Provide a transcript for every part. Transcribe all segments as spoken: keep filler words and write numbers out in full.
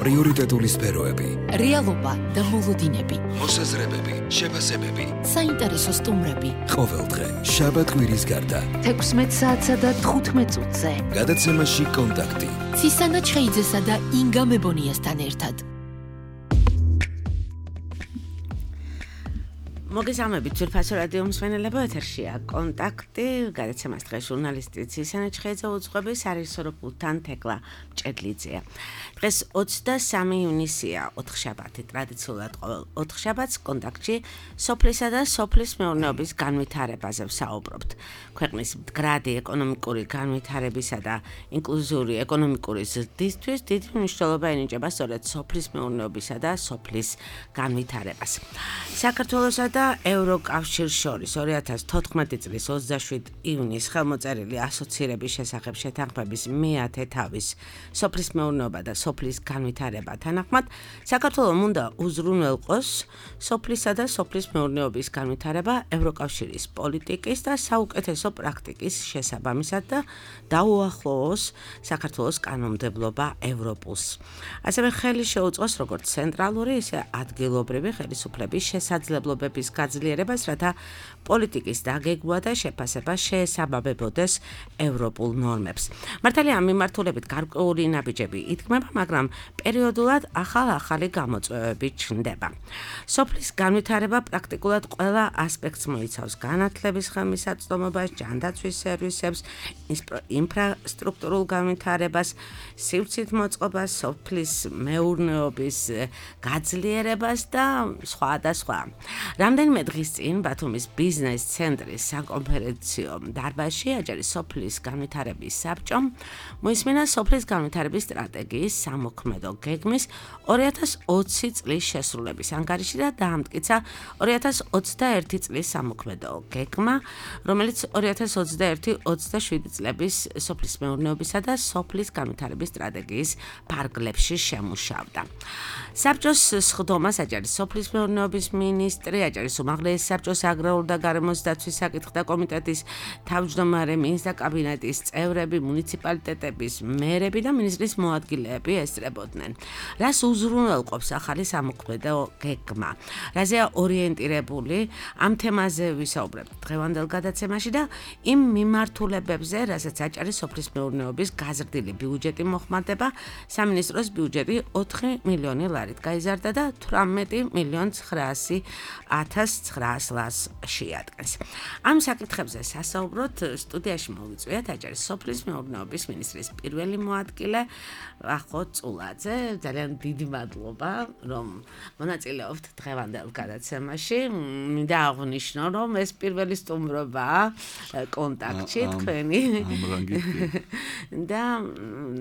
პრიორიტეტული სფეროები, რეალობა და მოლოდინები, მოსაზრებები, შეფასებები, საინტერესო სტუმრები. ყოველდღე შაბათ-კვირის გარდა თექვსმეტ საათსა და თხუთმეტ წუთზე გადაცემაში კონტაქტი ცისანა ჩხეიძესა და ინგა მებონიასთან ერთად. მოგესალმებით, ძვირფასო რადიო მსმენელებო, ეთერშია კონტაქტი, გადაცემას დღეს ჟურნალისტი ცისანა ჩხეიძე უძღვების არისოროფულთან თეკლა მჭედლიძეა. დღეს ოცდამესამე ივნისია, ოთხშაბათი, ტრადიციულად ყოველ ოთხშაბათს კონტაქტში სოფლისა და სოფლის მეურნეობის განვითარებაზე ვსაუბრობთ. ქვეყნის მდგრადი ეკონომიკური განვითარებისა და ინკლუზიური ეკონომიკური ზრდისთვის დიდი მნიშვნელობა ენიჭება სწორედ სოფლის მეურნეობისა და სოფლის განვითარებას. საქართველოსა და ევროკავშირს შორის ორი ათას თოთხმეტი წლის ოცდაშვიდი ივნის ხელმოწერილი ასოცირების შესახებ შეთანხმების მეათე თავის სოფლის მეურნეობა და სოფლის განვითარება თანახმად საქართველოს უნდა უზრუნველყოს სოფლისა და სოფლის მეურნეობის განვითარება ევროკავშირის პოლიტიკის და საუკეთესო პრაქტიკის შესაბამისად და დაუახლოვოს საქართველოს კანონმდებლობა ევროპულს. ასევე ხელი შეუწყოს როგორც ცენტრალური, ისე ადგილობრივი ხელისუფლების შესაძლებლობების გაძლიერებას, რათა პოლიტიკის დაგეგმვა და შეფასება შეესაბამებოდეს ევროპულ ნორმებს. მართალია ამ მიმართულებით გარკვეული ნაბიჯები იდგმება, მაგრამ პერიოდულად ახალ-ახალი გამოწვევები ჩნდება. სოფლის განვითარება პრაქტიკულად ყველა ასპექტს მოიცავს: განათლების ხელმისაწვდომობას, ჯანდაცვის სერვისებს, ინფრასტრუქტურულ განვითარებას, სივრცით მოწყობას, სოფლის მეურნეობის გაძლიერებას და სხვა და სხვა. რამდენიმე დღის წინ ბათუმის ბიზნეს ცენტრის საკონფერენციო დარბაზში აჭარის სოფლის განვითარების საბჭომ მოისმინა სოფლის განვითარების სტრატეგიის სამოქმედო გეგმის ორი ათას ოცი წლის შესრულების ანგარიში და დაამტკიცა ორი ათას ოცდაერთი წლის სამოქმედო გეგმა, რომელიც ორი ათას ოცდაერთი ოცდაშვიდი წლების სოფლის მეურნეობისა და სოფლის განვითარების სტრატეგიის ფარგლებში შემუშავდა. საბჭოს სხდომას აჭარის სოფლის მეურნეობის მინისტრი, აჭარის უმაღლესი საბჭოს აგრარული და გარემოს დაცვის საკითხთა კომიტეტის თავმჯდომარე, მინისტრთა კაბინეტის წევრები, მუნიციპალიტეტების მერები და მინისტრის მოადგილეები ესწრებოდნენ. რას უზრუნველყოფს ახალი სამოქმედო გეგმა? რაზეა ორიენტირებული? ამ თემაზე ვისაუბრებთ დღევანდელ გადაცემაში და იმ მიმართულებებზე, რასაც აჭარის სოფლის მეურნეობის გაზრდილი ბიუჯეტი მოხმარდება, სამინისტროს ბიუჯეტი ოთხი მილიონი ლარით გაიზარდა და თვრამეტი მილიონი ცხრაასი ათას ცხრაას ლარს შეადგენს. ამ საკითხებზე სასაუბროთ სტუდიაში მოვიწვიეთ აჭარის სოფლის მეურნეობის მინისტრის პირველი მოადგილე ვახო წულაძე. ძალიან დიდი მადლობა, რომ მონაწილეობთ დღევანდელ გადაცემაში. მინდა აღვნიშნო, რომ ეს პირველი სტუმრობაა კონტაქტში თქვენი და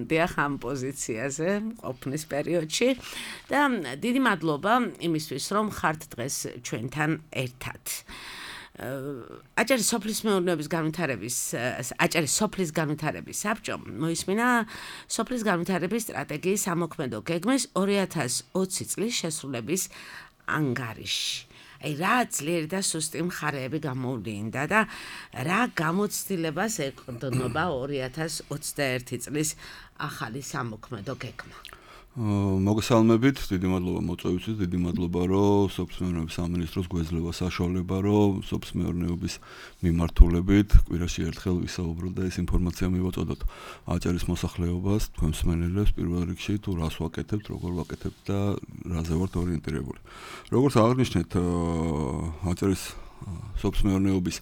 დიახ ამ პოზიციაზე ყოფნის პერიოდში და დიდი მადლობა იმისთვის, რომ ხართ დღეს ჩვენთან ერთად. აჭარის სოფლის მეურნეობის განვითარების აჭარის სოფლის განვითარების საბჭომ მოისმინა სოფლის განვითარების სტრატეგიის სამოქმედო გეგმის ორი ათას ოცი წლის შესრულების ანგარიში. აი რა ძლიერი და სუსტი მხარეები გამოვლინდა და რა გამოცდილებას ეყრდნობა ორი ათას ოცდაერთი წლის ახალი სამოქმედო გეგმა. მოგესალმებით, დიდი მადლობა მოწვევისთვის, დიდი მადლობა, რომ სოფლის მეურნეობის სამინისტროს გვეძლევა საშუალება, რომ სოფლის მეურნეობის მიმართულებით კვირაში ერთხელ ვისაუბროთ და ეს ინფორმაცია მივაწოდოთ აჭარის მოსახლეობას, თქვენ მსმენელებს პირველ რიგში, თუ რას ვაკეთებთ, როგორ ვაკეთებთ და რაზე ვართ ორიენტირებული. როგორც აღნიშნეთ, აჭარის სოფლის მეურნეობის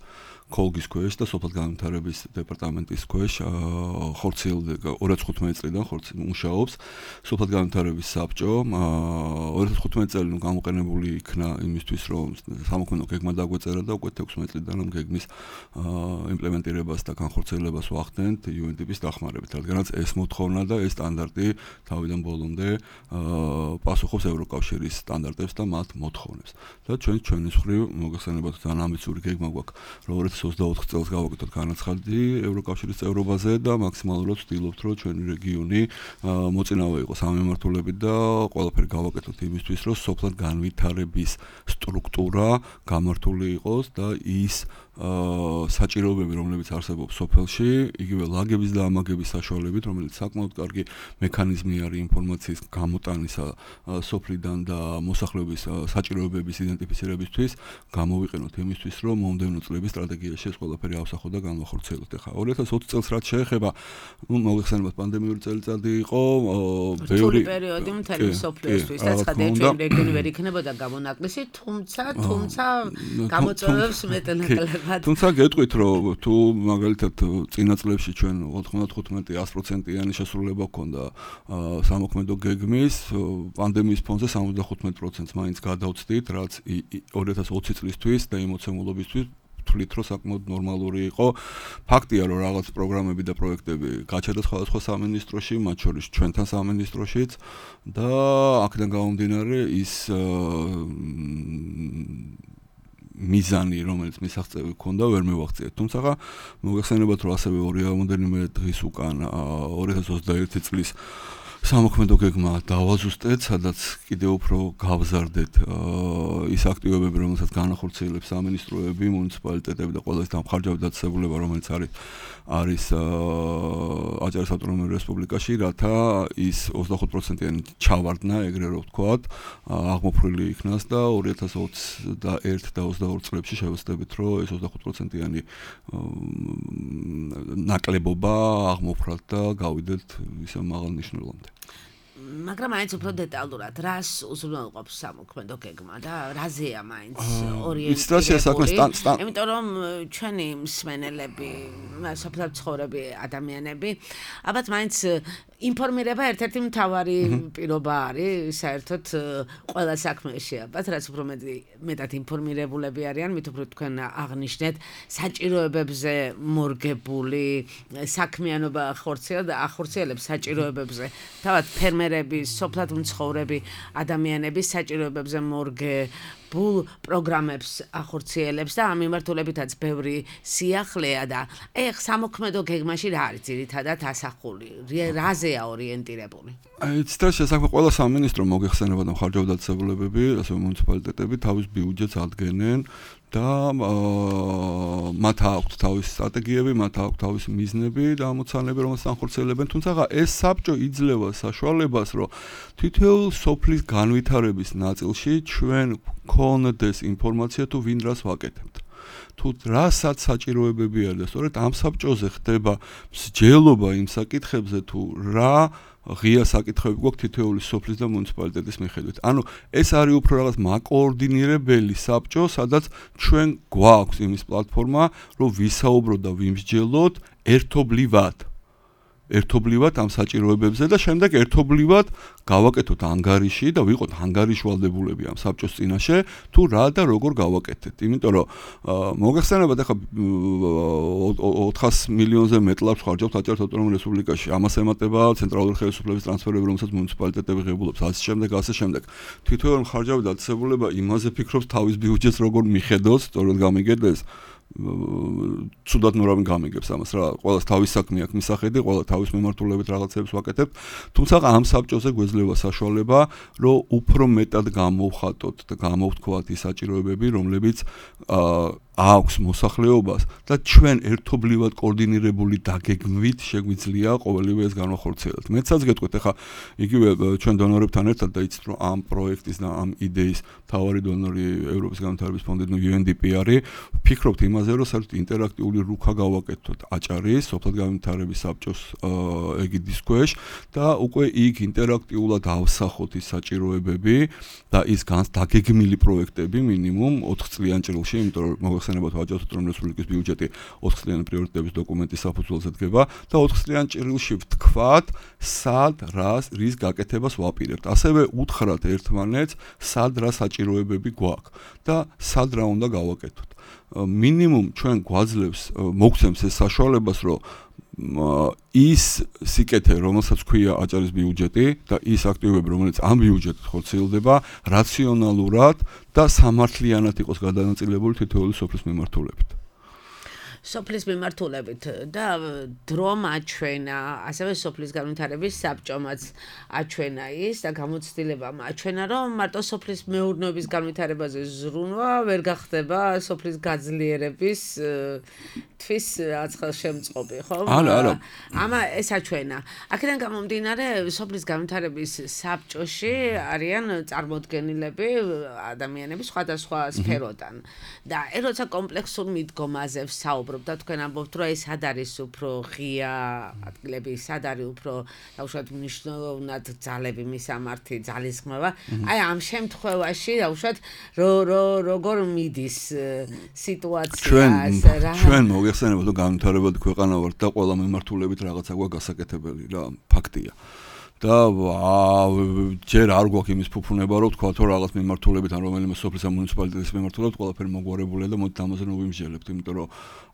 კოლგის ქვეშ და სოფლის განვითარების დეპარტამენტის ქვეშ ხორციელდება ორი ათას თხუთმეტი წლიდან მუშაობს სოფლის განვითარების საბჭო. ორი ათას თხუთმეტი წელი გამოყენებული იქნა იმისთვის, რომ სამოქმედო გეგმა დაგვეწერა და უკვე თექვსმეტ წლიდან ამ გეგმის იმპლემენტირებას და განხორციელებას ვახდენთ იუ ენ დი პის დახმარებით, რადგანაც ეს მოთხოვნა და ეს სტანდარტი თავიდან ბოლომდე პასუხობს ევროკავშირის სტანდარტებს და მათ მოთხოვნებს. და ჩვენ ჩვენის მხრივ მოგეხსენებათ ძალიან ამბიციური გეგმა გვაქვს, რომ ოცდაოთხ წელს გავაკეთოთ განაცხადი ევროკავშირის წევრობაზე და მაქსიმალურად ვცდილობთ, რომ ჩვენი რეგიონი მოწინავე იყოს ამ მიმართულებით და ყველაფერი გავაკეთოთ იმისთვის, რომ სოფლის განვითარების სტრუქტურა გამართული იყოს და ის საჭიროებები, რომლებიც არსებობს სოფელში, იგივე ლაგების და ამაგების საშუალებით, რომელიც საკმაოდ კარგი მექანიზმი არის ინფორმაციის გამოტანისა სოფლიდან და მოსახლეობის საჭიროებების იდენტიფიცირებისთვის, გამოვიყენოთ იმისთვის, რომ მომდევნო წლების სტრატეგიაში ეს ყველაფერი ავსახოთ და განვახორციელოთ. ახლა ორი ათას ოცი წელს რაც შეეხება, ну, მოგეხსენებათ პანდემიური წელიწადი იყო, ბევრი პერიოდი მთელი სოფლიოსთვის, აცხადეთ, ჩვენ რეგიონი ვერ იქნებოდა გამონაკლისი, თუმცა, თუმცა გამოწვევებს მეტნაკლებად. თუმცა გეტყვით, რომ თუ მაგალითად წინა წლებში ჩვენ ოთხმოცდახუთი ათას პროცენტიანი შესრულება ჰქონდა სამოქმედო გეგმის, პანდემიის ფონზე სამოცდახუთი პროცენტს მაინც გადავწდით, რაც ორი ათას ოცი წლისთვის და იმოცემულობისთვის თვლით, რომ საკმაოდ ნორმალური იყო. ფაქტია, რომ რაღაც პროგრამები და პროექტები გაჩერდა სხვადასხვა სამინისტროში, მათ შორის ჩვენთან სამინისტროშიც და აქედან გამომდინარე ის მიზანი, რომელიც მისაღწევი ჰქონდა, ვერ მივაღწიეთ. თუმცა მოგეხსენებათ, რომ ასევე ორი ამდენიმე დღის უკან ორი ათას ოცდაერთი წლის სამოქმედო გეგმა დავაზუსტეთ, სადაც კიდევ უფრო გავზარდეთ ის აქტივობები, რომელსაც განახორციელებს სამინისტროები, მუნიციპალიტეტები და ყველა ის დამხარჯავებდა დაწესებულება, რომელიც არის არის აჭარის ავტონომიურ რესპუბლიკაში, რათა ის ოცდახუთ პროცენტიანი ჩავარდნა, ეგრე რომ ვთქვათ, აღმოფხვრილი იქნას და ორი ათას ოცდაერთი და ოცდაორი წლებში შევეცდებით, რომ ეს ოცდახუთ პროცენტიანი ნაკლებობა აღმოფხვრათ და გავიდეთ ისე მაღალ ნიშნულამდე. მაგრამ მაინც უფრო დეტალურად, რას უზრუნველყოფს სამოქმედო გეგმა და რაზეა მაინც ორიენტირებული? იმიტომ რომ ჩვენი მსმენელები, სოფლად ცხოვრები ადამიანები, ალბათ მაინც ინფორმირება ერთ-ერთი მთავარი პირობა არის, საერთოდ ყველა საქმეში, ალბათ რაც უფრო მეტად ინფორმირებულები არიან, მით უფრო თქვენ აღნიშნეთ საჭიროებებზე მორგებული საქმიანობა ახორციელებს საჭიროებებზე. თავად ფერმერები, სოფლად მცხოვრები ადამიანების საჭიროებებზე მორგებულ პროგრამებს ახორციელებს და ამ მიმართულებითაც ბევრი სიახლეა და ეხ სამოქმედო გეგმაში რა არის ძირითადად ასახული? რაზეა ორიენტირებული? აი, ციტას შესაძლოა ყველა სამინისტრო მოგეხსენება და მხარჯავდა დაწესებულებები, ასევე მუნიციპალიტეტები თავის ბიუჯეტს ადგენენ და მათ აქვთ თავისი სტრატეგიები, მათ აქვთ თავისი მიზნები და ამოცანები, რომელსაც ახორციელებენ. თუმცა ეს საბჭო იძლევა საშუალებას, რომ თითოეულ სოფლის განვითარების ნაწილში ჩვენ გქონდეს ინფორმაცია თუ ვინ რას ვაკეთებთ. თუ რასაც საჭიროებები არის და სწორედ ამ საბჭოზე ხდება მსჯელობა იმ საკითხებზე თუ რა ღია საკითხები გვაქვს თითოეული სოფლის და მუნიციპალიტეტის მიხედვით. ანუ ეს არის უფრო რაღაც მაკოორდინირებელი საბჭო, სადაც ჩვენ გვაქვს იმის პლატფორმა, რომ ვისაუბროთ და ვიმსჯელოთ ერთობლივად. ერთობლივად ამ საჭიროებებზე და შემდეგ ერთობლივად გავაკეთოთ ანგარიში და ვიყოთ ანგარიშვალდებულები ამ საბჭოს წინაშე თუ რა და როგორ გავაკეთეთ. იმიტომ რომ მოგეხსენებათ ახლა ოთხას მილიონზე მეტ ლარს ხარჯავთ აჭარის ავტონომიურ რესპუბლიკაში. ამას ემატება ცენტრალური ხელისუფლების ტრანსფერები, რომელსაც მუნიციპალიტეტები ღებულობს, ასე შემდეგ, ასე შემდეგ. თითოეული მხარჯავი დაწესებულება იმაზე ფიქრობს თავის ბიუჯეტს როგორ მიხედოს, სწორედ გამიგებდეს ცუდად ნურავინ გამიგებს ამას რა, ყველას თავის საქმე აქვს მისახედი, ყველა თავის მიმართულებით რაღაცებს ვაკეთებთ. თუმცა ამ საბჭოზე გვეძლევა საშუალება, რომ უფრო მეტად გამოვხატოთ და გამოვთქვათ ის საჭიროებები, რომლებიც აქვს მოსახლეობას და ჩვენ ერთობლივად კოორდინირებული დაგეგმვით შეგვიძლია ყოველივე ეს განვახორციელოთ. მეცაც გეტყვით, ახლა იგივე ჩვენ დონორებთან ერთად და იცით რომ ამ პროექტის და ამ იდეის მთავარი დონორი ევროპის განვითარების ფონდი, ნუ იუ ენ დი პი არის, ვფიქრობთ იმაზე, რომ საერთოდ ინტერაქტიული რუქა გავაკეთოთ აჭარის სოფლად განვითარების საბჭოს ეგიდის ქვეშ და უკვე იქ ინტერაქტიულად ავსახოთ ის საჭიროებები და ის დაგეგმილი პროექტები მინიმუმ ოთხ წლიან ჭრილში, იმიტომ რომ მოგეხსენებათ აჭარის ავტონომიური რესპუბლიკის ბიუჯეტი ოთხ წლიანი პრიორიტეტების დოკუმენტის საფუძველზე დგება და ოთხ წლიან ჭრილში ვთქვათ, სად რას რის გაკეთებას ვაპირებთ. ასევე უთხრათ ერთმანეთს, სად რა საჭიროებები გვაქვს და სად რა უნდა გავაკეთოთ. მინიმუმ ჩვენ გვაძლევს, მოგცემს ეს საშუალებას, რომ ის სიკეთე, რომელსაც ქვია აჭარის ბიუჯეტი და ის აქტივობები, რომელიც ამ ბიუჯეტით ხორციელდება, რაციონალურად და სამართლიანად იყოს გადანაწილებული თითოეული სოფლის მიმართულებით. სოფლის მიმართულებით და დრომ აჩვენა, ასევე სოფლის განვითარების საბჭომაც აჩვენა ის და გამოცდილებამ აჩვენა, რომ მარტო სოფლის მეურნეობის განვითარებაზე ზრუნვა ვერ გახდება სოფლის გაძლიერების თვის აცხელშემწყობი, ხო? არა, არა. ამა ეს აჩვენა. აქედან გამომდინარე, სოფლის განვითარების საბჭოში არიან წარმოდგენილები ადამიანების სხვადასხვა სფეროდან. და როცა კომპლექსურ მიდგომაზე ვსაუბრობ და თქვენ ამბობთ, რომ ეს სად არის უფრო ღია ადგილები, სად არის უფრო დაუშვათ მნიშვნელოვნად ძალები, მისამართი, ძალისხმევა. აი ამ შემთხვევაში დაუშვათ როგორ მიდის სიტუაცია რა. ჩვენ მოგეხსენებათ, რომ განვითარებადი ქვეყანა ვართ და ყველა მიმართულებით რაღაცა გვაქვს გასაკეთებელი რა, ფაქტია. და ჯერ არ გვაქვს იმის ფუფუნება, რომ თქვა თუ რაღაც მიმართულებით ან რომელიმე სოფლის ან მუნიციპალიტეტის მიმართულებით ყველაფერი მოგვარებულია და მოდი ამაზე ნოვიმსჯელებთ, იმიტომ რომ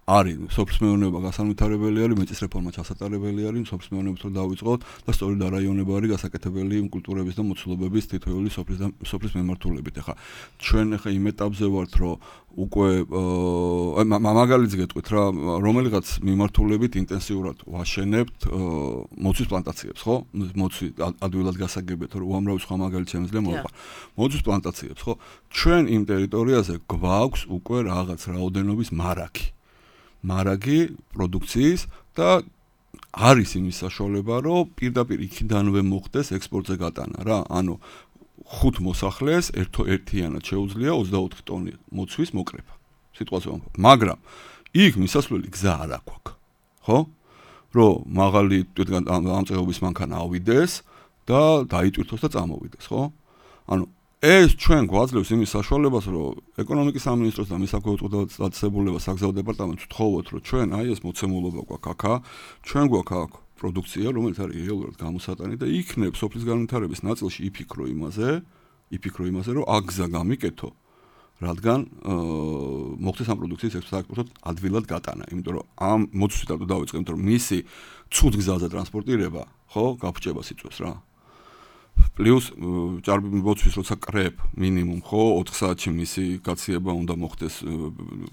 არის სოფლის მეურნეობა გასანვითარებელი არის, მეწის რეფორმა ჩასატარებელი არის, სოფლის მეურნეობით რომ დავიწყოთ და სწორედ არაიონება არის გასაკეთებელი იმ კულტურების და მოცულობების თითოეული სოფლის და სოფლის მიმართულებით. ახლა ჩვენ ახლა იმ ეტაპზე ვართ, რომ უკვე მაგალითს გეტყვით რა, რომელიღაც მიმართულებით ინტენსიურად ვაშენებთ მოცვის პლანტაციებს, ხო? მოცვი ადვილად გასაგებია, რომ უამრავი სხვა მაგალითი შემიძლია მოვყვა. მოცვის პლანტაციებს, ხო? ჩვენ იმ ტერიტორიაზე გვაქვს უკვე რაღაც რაოდენობის მარაგი. მარაგი პროდუქციის და არის იმის საშუალება, რომ პირდაპირ იქიდანვე მოხდეს ექსპორტზე გატანა რა. ანუ ხუთ მოსახლეს ერთიანად შეუძლია ოცდაოთხი ტონი მოცვის მოკრეფა. სიტყვაზე ვამბობ. მაგრამ იქ მისასვლელი გზა არ აქვს. ხო? რომ მაღალი ამწეობის მანქანა ავიდეს და დაიტვირთოს და წამოვიდეს, ხო? ანუ ეს ჩვენ გვაძლევს იმის საშუალებას, რომ ეკონომიკის სამინისტროს და მის საქვეუწყდომო საგზაო დეპარტამენტს ვთხოვოთ, რომ ჩვენ აი ეს მოცემულობა გვაქვს აქა, ჩვენ გვაქვს აქ პროდუქცია, რომელიც არის რეალურად გამოსატანი და იქნებ სოფლის განვითარების ნაწილში იფიქრო იმაზე, იფიქრო იმაზე, რომ აქ გზა გამიკეთო, რადგან მოხდეს ამ პროდუქციის ექსპორტად ადვილად გატანა, იმიტომ რომ ამ მოცვისთან დავიწყებთ, რომ მისი ცუდ გზაზე ტრანსპორტირება, ხო, გაფრჩება სიწვევს რა. პლუს ჭარბი მოცვის როცა კრებ მინიმუმ ხო ოთხ საათში მისი გაციება უნდა მოხდეს,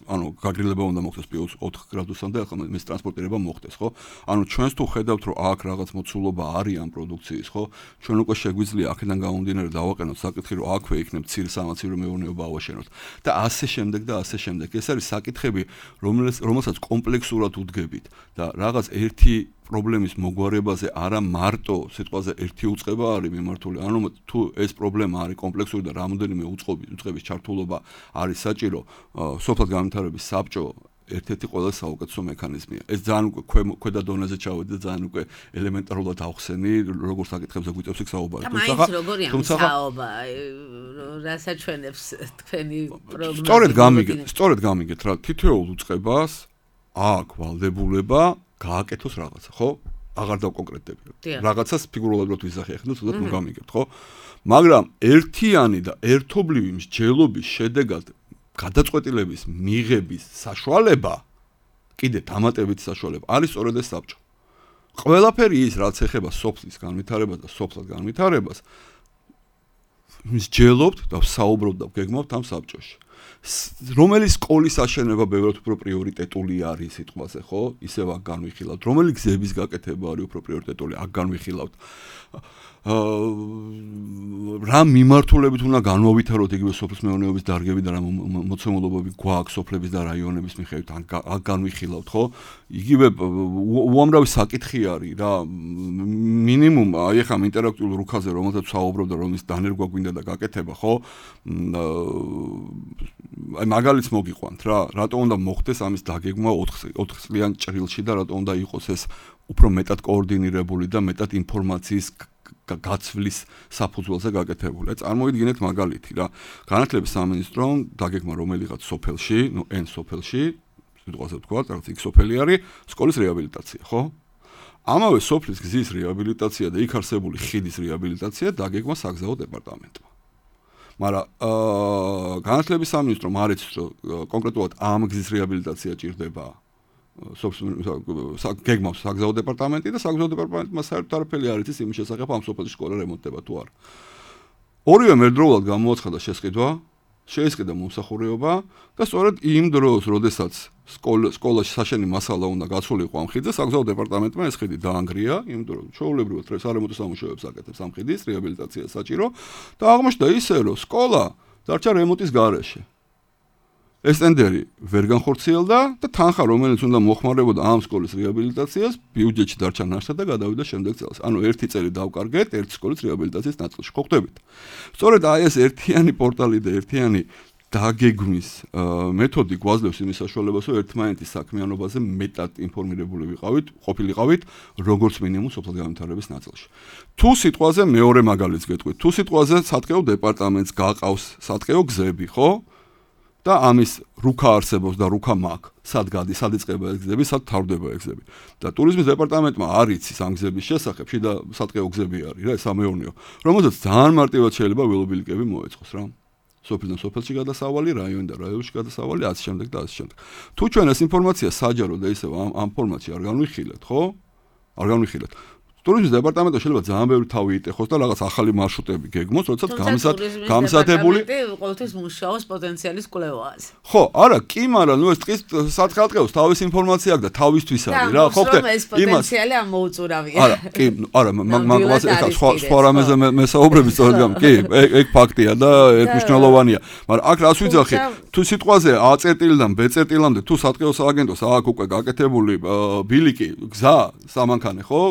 ანუ გაგრილება უნდა მოხდეს პლუს ოთხ გრადუსამდე, ახლა მის ტრანსპორტირება მოხდეს, ხო? ანუ ჩვენს თუ ხედავთ, რომ აქ რაღაც მოცულობა არის ამ პროდუქციის, ხო? ჩვენ უკვე შეგვიძლია აქედან გამომდინარე დავაყენოთ საკითხი, რომ აქვე იქნებ ცირ სამაცივრო მეურნეობა ავაშენოთ და ასე შემდეგ და ასე შემდეგ. ეს არის საკითხები, რომელსაც კომპლექსურად უდგებით და რაღაც ერთი პრობლემის მოგვარებაზე არა მარტო სიტყვაზე ერთი უწყება არის მიმართული. ანუ თუ ეს პრობლემა არის კომპლექსური და რამოდენიმე უწყების ჩართულობა არის საჭირო, სოფლად განვითარების საბჭო ერთ-ერთი ყველაზე საუკეთესო მექანიზმია. ეს ძალიან უკვე ქვედა დონეზე ჩავედი და ძალიან უკვე ელემენტარულად ავხსენი, როგორ საკითხებზე გვიწევს იქ საუბარი. თუმცა როგორია საუბა, რასაჩვენებს თქვენი პროგნოზი? სწორედ გამიგეთ, სწორედ გამიგეთ რა, თითოეულ უწყებას აქ ვალდებულება გააკეთოს რაღაცა, ხო? აღარ დავკონკრეტდები. რაღაცას ფიგურულად რო ვიზახი ახლა, თუნდაც ნუ გამიგებთ, ხო? მაგრამ ერთიანი და ერთობლივი მსჯელობის შედეგად გადაწყვეტილების მიღების საშუალება, კიდე დამატებითი საშუალება არის სწორედ ეს საბჭო. ყველაფერი ის, რაც ეხება სოფლის განვითარებას და სოფლად განვითარებას, მსჯელობთ და ვსაუბრობთ და ვგეგმავთ ამ საბჭოში. რომელი სკოლის აშენება ბევრად უფრო პრიორიტეტული არის სიტყვაზე, ხო? ისევ აქ განვიხილავთ. რომელი გზების გაკეთება არის უფრო პრიორიტეტული, აქ განვიხილავთ. რა მიმართულებით უნდა განვავითაროთ იგივე სოფლის მეურნეობის დარგები და რა მოცემულობები გვაქვს სოფლების და რაიონების მიხედვით, აქ განვიხილავთ, ხო? იგივე უამრავი საკითხი არის რა. მინიმუმ აი ახლა ინტერაქტიულ რუქაზე რომელსაც ვსაუბრობ და რომის დანერგვა გვინდა და გაკეთება, ხო? აი მაგალითს მოგიყვანთ რა, რატო უნდა მოხდეს ამის დაგეგმვა ოთხ წლიან ჭრილში და რატო უნდა იყოს ეს უფრო მეტად კოორდინირებული და მეტად ინფორმაციის გაცვლის საფუძველზე გაკეთებული. წარმოვიდგინეთ მაგალითი რა. განათლების სამინისტრომ დაგეგმა რომელიღაც სოფელში, ნუ N სოფელში, სიტყვაზე ვთქვათ, რაღაც X სოფელი არის, სკოლის რეაბილიტაცია, ხო? ამავე სოფლის გზის რეაბილიტაცია და იქ არსებული ხიდის რეაბილიტაცია დაგეგმა საგზაო დეპარტამენტმა. მაგრამ განათლების სამინისტრომ არ იცის, რომ კონკრეტულად ამ გზის რეაბილიტაცია ჭირდება გეგმავს საგზაო დეპარტამენტი და საგზაო დეპარტამენტმა საერთოდ არაფერი არ იცის იმის შესახებ ამ სოფელში სკოლა რემონტდება თუ არა. ორივე მერდროულად გამოაცხადა შესყიდვა, შეისყიდა მომსახურეობა და სწორედ იმ დროს, როდესაც სკოლა სკოლაში საშენი მასალა უნდა გასულიყო ამ ხიდზე, საგზაო დეპარტამენტმა ეს ხიდი დაანგრია, იმიტომ რომ ჩვეულებრივად სარემონტო სამუშაოებს აკეთებს ამ ხიდის რეაბილიტაცია საჭირო და აღმოჩნდა ისე, რომ სკოლა დარჩა რემონტის გარეშე. ეს ტენდერი ვერ განხორციელდა და თანხა, რომელიც უნდა მოხმარებოდა ამ სკოლის რეაბილიტაციას, ბიუჯეტში დარჩა ნაშთად და გადავიდა შემდეგ წელს. ანუ ერთი წელი დავკარგეთ ერთი სკოლის რეაბილიტაციის ნაწილში. ხო ხვდებით? სწორედ აი ეს ერთიანი პორტალი და ერთიანი დაგეგმვის მეთოდი გვაძლევს იმის საშუალებას, რომ ერთმანეთის საქმიანობაზე მეტად ინფორმირებული ვიყავით, ყოფილიყავით, როგორც მინიმუმ სოფლის განვითარების ნაწილში. თუ სიტყვაზე მეორე მაგალითს გეტყვით, თუ სიტყვაზე სატყეო დეპარტამენტს გაყავს სატყეო გზები, ხო? და ამის რუქა არსებობს და რუქა მაქვს. სად გადის, სად იწყება ეს გზები, სად თავდება ეს გზები. და ტურიზმის დეპარტამენტმა არ იცის ამ გზების შესახებ, შიდა სატყეო გზები არის რა, სამეურნეო, რომელზეც ძალიან მარტივად შეიძლება ველობილიკები მოეწყოს რა. სოფლიდან სოფელში გადასავალი, რაიონიდან რაიონში გადასავალი, ასე შემდეგ და ასე შემდეგ. თუ ჩვენ ეს ინფორმაცია საჯარო და ისევ ამ ამ ფორმატში არ განვიხილეთ, ხო? არ განვიხილეთ. ტურიზმის დეპარტამენტი შეიძლება ძალიან ბევრი თავი იტეხოს და რაღაც ახალი მარშრუტები გეგმოს, როდესაც გამსათებული ყოველთვის მუშაობს პოტენციალის კვლევაზე. ხო, არა, კი, მაგრამ ნუ ეს ტყის სათხალტყეოს თავის ინფორმაცია აქვს და თავისთვის არის რა, ხო ხდე? ეს პოტენციალი ამოუწურავია. არა, კი, არა, მაგას ეხლა სხვა სხვა რამეზე მესაუბრები სწორედ გამ, კი, ეგ ფაქტია და ეგ მნიშვნელოვანია. მაგრამ აქ რას ვიძახი? თუ სიტყვაზე A წერტილიდან B წერტილამდე თუ სატყეო სააგენტოს აქვს უკვე გაკეთებული ბილიკი, გზა, სამანქანე, ხო?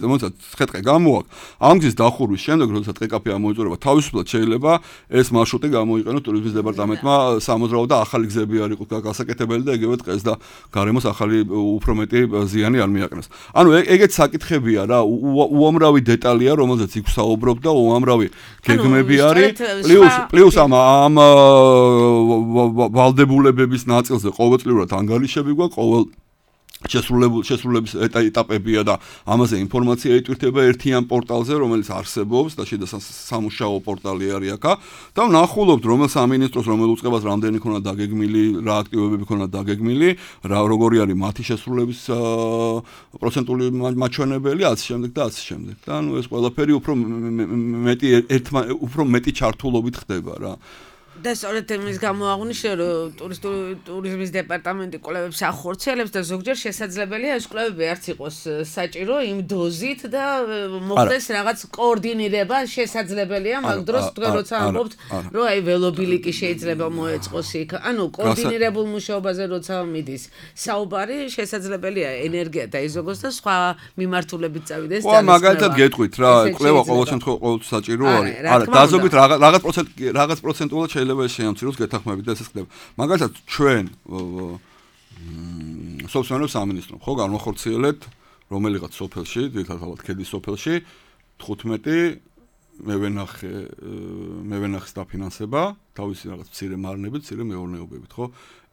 მოიცა ხეთყე გამოაქვს ამ გზის დახურვის შემდეგ როდესაც ტყეკაფე ამოიწურება თავისუფლად შეიძლება ეს მარშრუტი გამოიყენოს ტურიზმის დეპარტამენტმა სამოძრაო და ახალი გზები არ იყოს გასაკეთებელი და ეგევე ტყეს და გარემოს ახალი უფრო მეტი ზიანი არ მიაყენოს. ანუ ეგეც საკითხებია რა, უამრავი დეტალია რომელზეც იქ საუბრობ და უამრავი გეგმები არის პლუს პლუს ამ ამ ვალდებულებების ნაწილზე ყოველწლიურად ანგარიშები გვაქვს ყოველ შესრულებული შესრულების ეტაპებია და ამაზე ინფორმაცია იტვირთება ერთიან პორტალზე, რომელიც არსებობს და შიდა სამუშაო პორტალი არის აქა და ვნახულობთ, რომელ სამინისტროს, რომელ უწყებას რამდენი ქონა დაგეგმილი, რა აქტივობები ქონა დაგეგმილი, რა როგორი არის მათი შესრულების პროცენტული მაჩვენებელი, ასე შემდეგ და ასე შემდეგ. და ნუ ეს ყველაფერი უფრო მეტი ერთმა უფრო მეტი ჩართულობით ხდება რა. და სწორედ იმის გამო აღნიშნე, რომ ტურიზმის დეპარტამენტი კვლევებს ახორციელებს და ზოგჯერ შესაძლებელია ეს კვლევები არც იყოს საჭირო იმ დოზით და მოხდეს რაღაც კოორდინირება შესაძლებელია, მაგ დროს თქვენ როცა ამბობთ, რომ აი ველობილიკი შეიძლება მოეწყოს იქ. ანუ კოორდინირებულ მუშაობაზე როცა მიდის საუბარი, შესაძლებელია ენერგია დაიზოგოს და სხვა მიმართულებით წავიდეს და მაგალითად გეტყვით რა, კვლევა ყოველ შემთხვევაში ყოველთვის საჭირო არის. არა, დაზოგით რაღაც პროცენტ რაღაც პროცენტულად შეიძლება შეამციროს გეთანხმებით და ეს ხდება. მაგალითად ჩვენ სოფლის სამინისტრომ ხო განვახორციელეთ რომელიღაც სოფელში, ძირითადად ქედის სოფელში თხუთმეტი მევენახე მევენახის დაფინანსება, თავისი რაღაც მცირე მარნებით, მცირე მეურნეობებით, ხო?